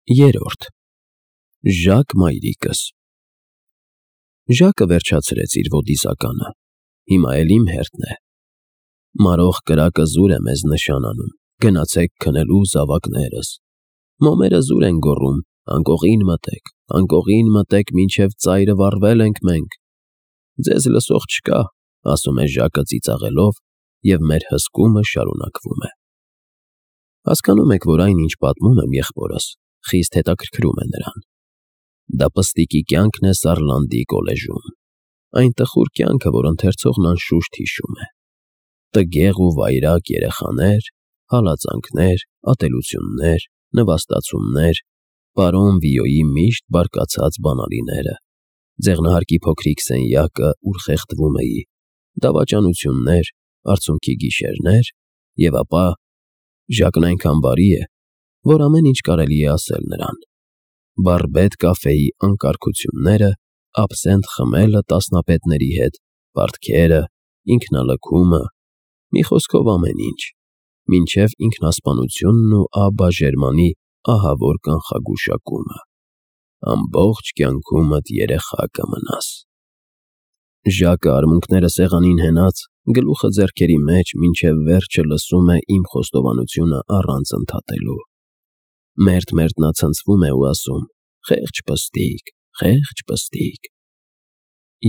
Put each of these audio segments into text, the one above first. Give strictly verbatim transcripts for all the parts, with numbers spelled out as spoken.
Երրորդ Ժակ մայրիկս Ժակը վերջացրեց իր ոդիսականը, հիմա էլ իմ հերթն է։ Մարող կրակը զուր է մեզ նշան անում, գնացեք քնելու զավակներս։ Մոմերը զուր են գոռում, անկողին մտեք, անկողին մտեք, մինչև ծայրը վառվել ենք մենք։ Ձեզ լսող չկա, ասում է Ժակը ծիծաղելով, և մեր հսկումը շարունակվում է։ Հասկանում եք, որ այն, ինչ պատմում եմ եղբորս, խիստ հետաքրքրում է նրան։ Դա պստիկի կյանքն է Սարլանդի կոլեժում, այն տխուր կյանքը, որ ընթերցողն անշուշտ հիշում է։ Տգեղ ու վայրագ երեխաներ, հալածանքներ, ատելություններ, նվաստացումներ, պարոն Վիոյի միշտ բարկացած բանալիները, ձեղնահարկի փոքրիկ սենյակը, ուր խեղդվում էի, դավաճանություններ, արցունքի գիշերներ, և ապա Ժակն այնքան բարի է, որ ամեն ինչ կարելի է ասել նրան. բարբետ կաֆեի անկարգությունները, աբսենթ խմելը տասնապետների հետ, պարտքերը, ինքնալքումը, մի խոսքով ամեն ինչ, մինչև ինքնասպանությունն ու Աբբա Ժերմանի ահավոր կանխագուշակումը. ամբողջ կյանքումդ երեխա կմնաս։ Ժակը արմունկները սեղանին հենած, գլուխը ձեռքերի մեջ, մինչև վերջը լսում է իմ խոստովանությունը առանց ընդհատելու։ Մերթ-մերթ նա ցնցվում է ու ասում. «Խեղճ պստիկ, խեղճ պստիկ»։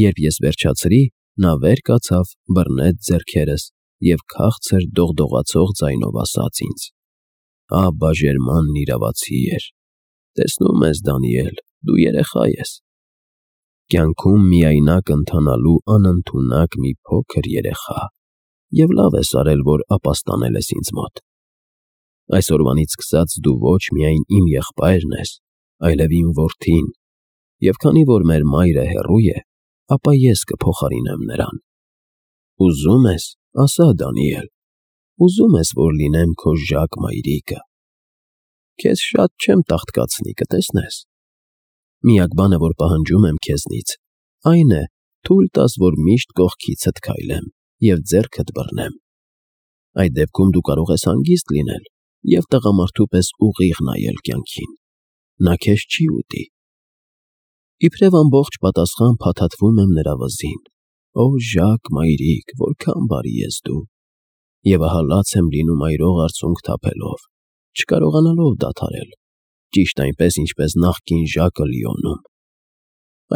Երբ ես վերջացրի, նա վեր կացավ, բռնեց ձեռքերս և քաղցր դողդողացող ձայնով ասաց ինձ. «Աբբա Ժերմանն իրավացի էր։ Տեսնում ես, Դանիել, դու երեխա ես։ Կյանքում միայնակ ընթանալու անընդունակ մի փոքր երեխա, և լավ ես արել, որ ապաստանել ես ինձ մոտ։ Այսօրվանից սկսած դու ոչ միայն իմ եղբայրն ես, այլև իմ որդին, և քանի որ մեր մայրը հեռու է, ապա ես կփոխարինեմ նրան։ Ուզում ես, ասա, Դանիել, ուզում ես, որ լինեմ քո Ժակ մայրիկը։ Քեզ շատ չեմ տաղտկացնի, կտեսնես։ Միակ բանը, որ պահանջում եմ քեզնից, այն է, թույլ տաս, որ միշտ կողքիցդ քայլեմ և ձեռքդ բռնեմ։ Այդ դեպքում դու կարող ես հանգիստ լինել և տղամարդու պես ուղիղ նայել կյանքին։ Նա քեզ չի ուտի։ Իբրև ամբողջ պատասխան փաթաթվում եմ նրա վզին. «Օ Ժակ մայրիկ, որքան բարի ես դու»։ Եվ ահա լաց եմ լինում այրող արցունք թափելով, չկարողանալով դադարել, ճիշտ այնպես, ինչպես նախկին Ժակը Լիոնում։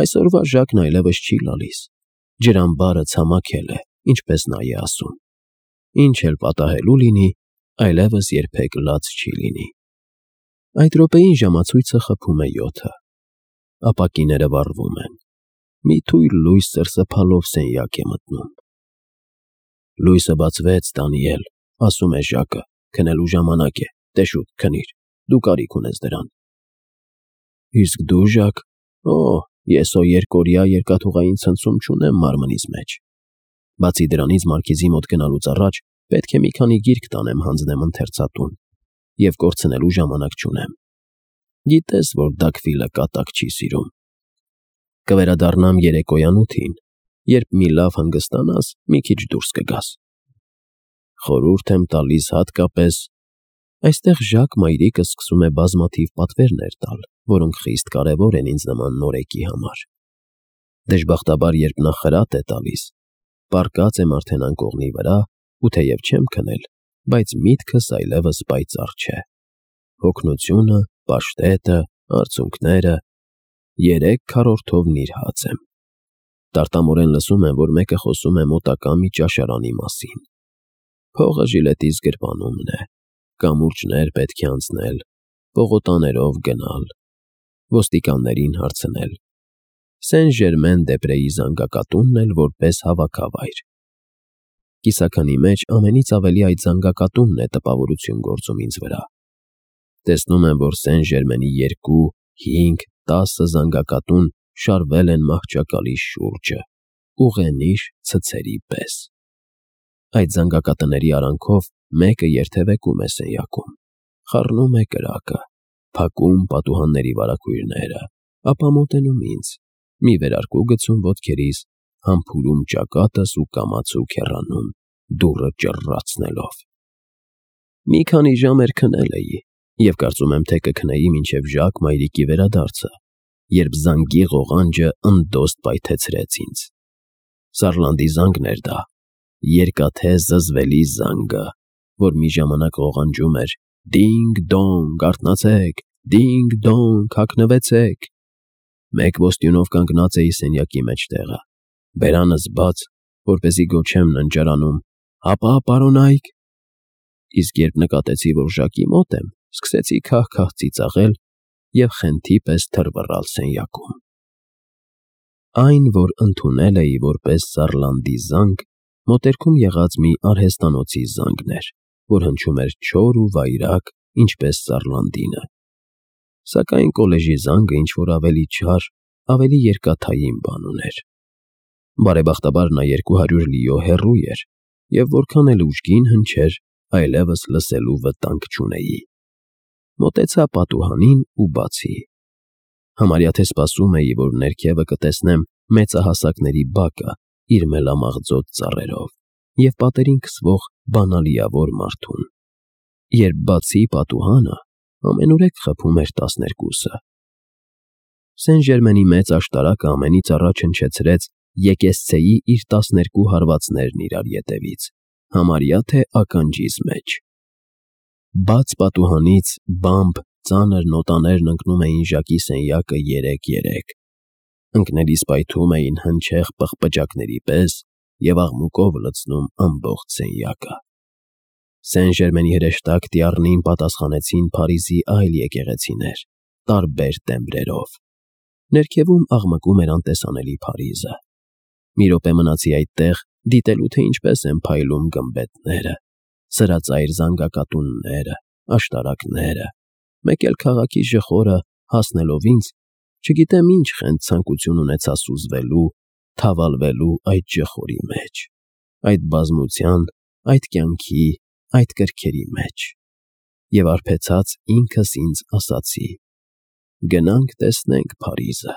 Այսօրվա Ժակն այլևս չի լալիս, ջրամբարը ցամաքել է, ինչպես նա է ասում։ Ինչ էլ պատահելու լինի, այլևս երբեք լաց չի լինի։ Այդ րոպեին ժամացույցը խփում է յոթը։ Ապակիները վառվում են։ Մի թույլ լույս սրսփալով սենյակ է մտնում։ Լույսը բացվեց, Դանիել, ասում է Ժակը, քնելու ժամանակ է, դե շուտ քնիր, դու կարիք ունես դրան։ Իսկ դու, Ժակ, օ, ես հո երկօրյա երկաթուղային ցնցում չունեմ մարմնիս մեջ։ Բացի դրանից, Մարքիզի մոտ գնալուց առաջ պետք է մի քանի գիրք տանեմ հանձնեմ ընթերցատուն, և կորցնելու ժամանակ չունեմ։ Գիտես, որ Դաքվիլը կատակ չի սիրում։ Կվերադառնամ երեկոյան ութին, երբ մի լավ հանգստանաս, մի քիչ դուրս կգաս։ Խորհուրդ եմ տալիս հատկապես… Այստեղ Ժակ մայրիկը սկսում է բազմաթիվ պատվերներ տալ, որոնք խիստ կարևոր են ինձ նման նորեկի համար։ Դժբախտաբար, երբ նա խրատ է տալիս, պառկած եմ արդեն անկողնի վրա, ու թեև չեմ քնել, բայց միտքս այլևս պայծառ չէ։ Հոգնությունը, պաշտետը, արցունքները… Երեք քառորդով նիրհած եմ։ Տարտամորեն լսում եմ, որ մեկը խոսում է մոտակա մի ճաշարանի մասին։ Փողը ժիլետիս գրպանումն է, կամուրջներ պետք է անցնել, պողոտաներով գնալ, ոստիկաններին հարցնել, Սեն֊Ժերմեն-դե֊Պրեի զանգակատունն էլ որպես հավաքավայր։ Կիսաքանի մեջ ամենից ավելի այդ զանգակատունն է տպավորություն գործում ինձ վրա։ Տեսնում եմ, որ Սեն֊Ժերմենի երկու, հինգ, տասը զանգակատուն շարվել են մահճակալի շուրջը, ուղենիշ ցցերի պես։ Այդ զանգակատների արանքով մեկը երթևեկում է սենյակում, խառնում է կրակը, փակում պատուհանների վարագույրները, ապա մոտենում ինձ, մի վերարկու գցում ոտքերիս, համբուրում ճակատս ու կամացուկ հեռանում, դուռը ճռռացնելով։ Մի քանի ժամ էր քնել էի, Եվ կարծում եմ, թե կքնեի մինչև Ժակ մայրիկի վերադարձը, երբ զանգի ղողանջը ընդոստ պայթեցրեց ինձ։ Սարլանդի զանգն էր դա, երկաթե զզվելի զանգը, որ մի ժամանակ ղողանջում էր. «Դինգ-դոնգ, արթնացեք, դինգ-դոնգ, հագնվեցեք»։ Մեկ ոստյունով կանգնած էի սենյակի մեջտեղը, բերանս բաց, որպեսզի գոչեմ ննջարանում. «Հապա, պարոնայք»։ Իսկ երբ նկատեցի, որ Ժակի մոտ եմ, սկսեցի քահ-քահ ծիծաղել և խենթի պես թռվռալ սենյակում։ Այն, որ ընդունել էի որպես Սարլանդի զանգ, մոտերքում եղած մի արհեստանոցի զանգն էր, որ հնչում էր չոր ու վայրագ, ինչպես Սարլանդինը։ Սակայն կոլեժի զանգը ինչ-որ ավելի չար, ավելի երկաթային բան ուներ։ Բարեբախտաբար նա երկու հարյուր լիո հեռու էր, և որքան էլ ուժգին հնչեր, այլևս լսելու վտանգ չունեի։ Մոտեցա պատուհանին ու բացի։ Համարյա թե սպասում էի, որ ներքևը կտեսնեմ մեծահասակների բակը իր մելամաղձոտ ծառերով և պատերին քսվող բանալիավոր մարդուն։ Երբ բացի պատուհանը, ամենուրեք խփում էր տասներկուսը։ Սեն֊Ժերմենի մեծ աշտարակը ամենից առաջ հնչեցրեց եկեղեցեի իր տասներկու հարվածներն իրար ետևից, համարյա թե ականջիս մեջ։ Բաց պատուհանից բամբ ծանր նոտաներն ընկնում էին Ժակի սենյակը երեկ֊երեկ, ընկնելիս պայթում էին հնչեղ պղպջակների պես և աղմուկով լցնում ամբողջ սենյակը։ Սեն֊Ժերմենի հրեշտակ Տյառնին պատասխանեցին Փարիզի այլ եկեղեցիներ, տարբեր տեմբրերով։ Ներքևում աղմկում էր անտեսանելի Փարիզը։ Մի րոպե մնացի այդտեղ, դիտելու, թե ինչպես են փայլում գմբեթները, սրածայր զանգակատունները, աշտարակները, մեկ էլ քաղաքի ժխորը, հասնելով ինձ, չգիտեմ ինչ խենթ ցանկություն ունեցա սուզվելու, թավալվելու այդ ժխորի մեջ, այդ բազմության, այդ կյանքի, այդ կրքերի մեջ։ Եվ արբեցած ինքս ինձ ասացի. «Գնանք տեսնենք Փարիզը»։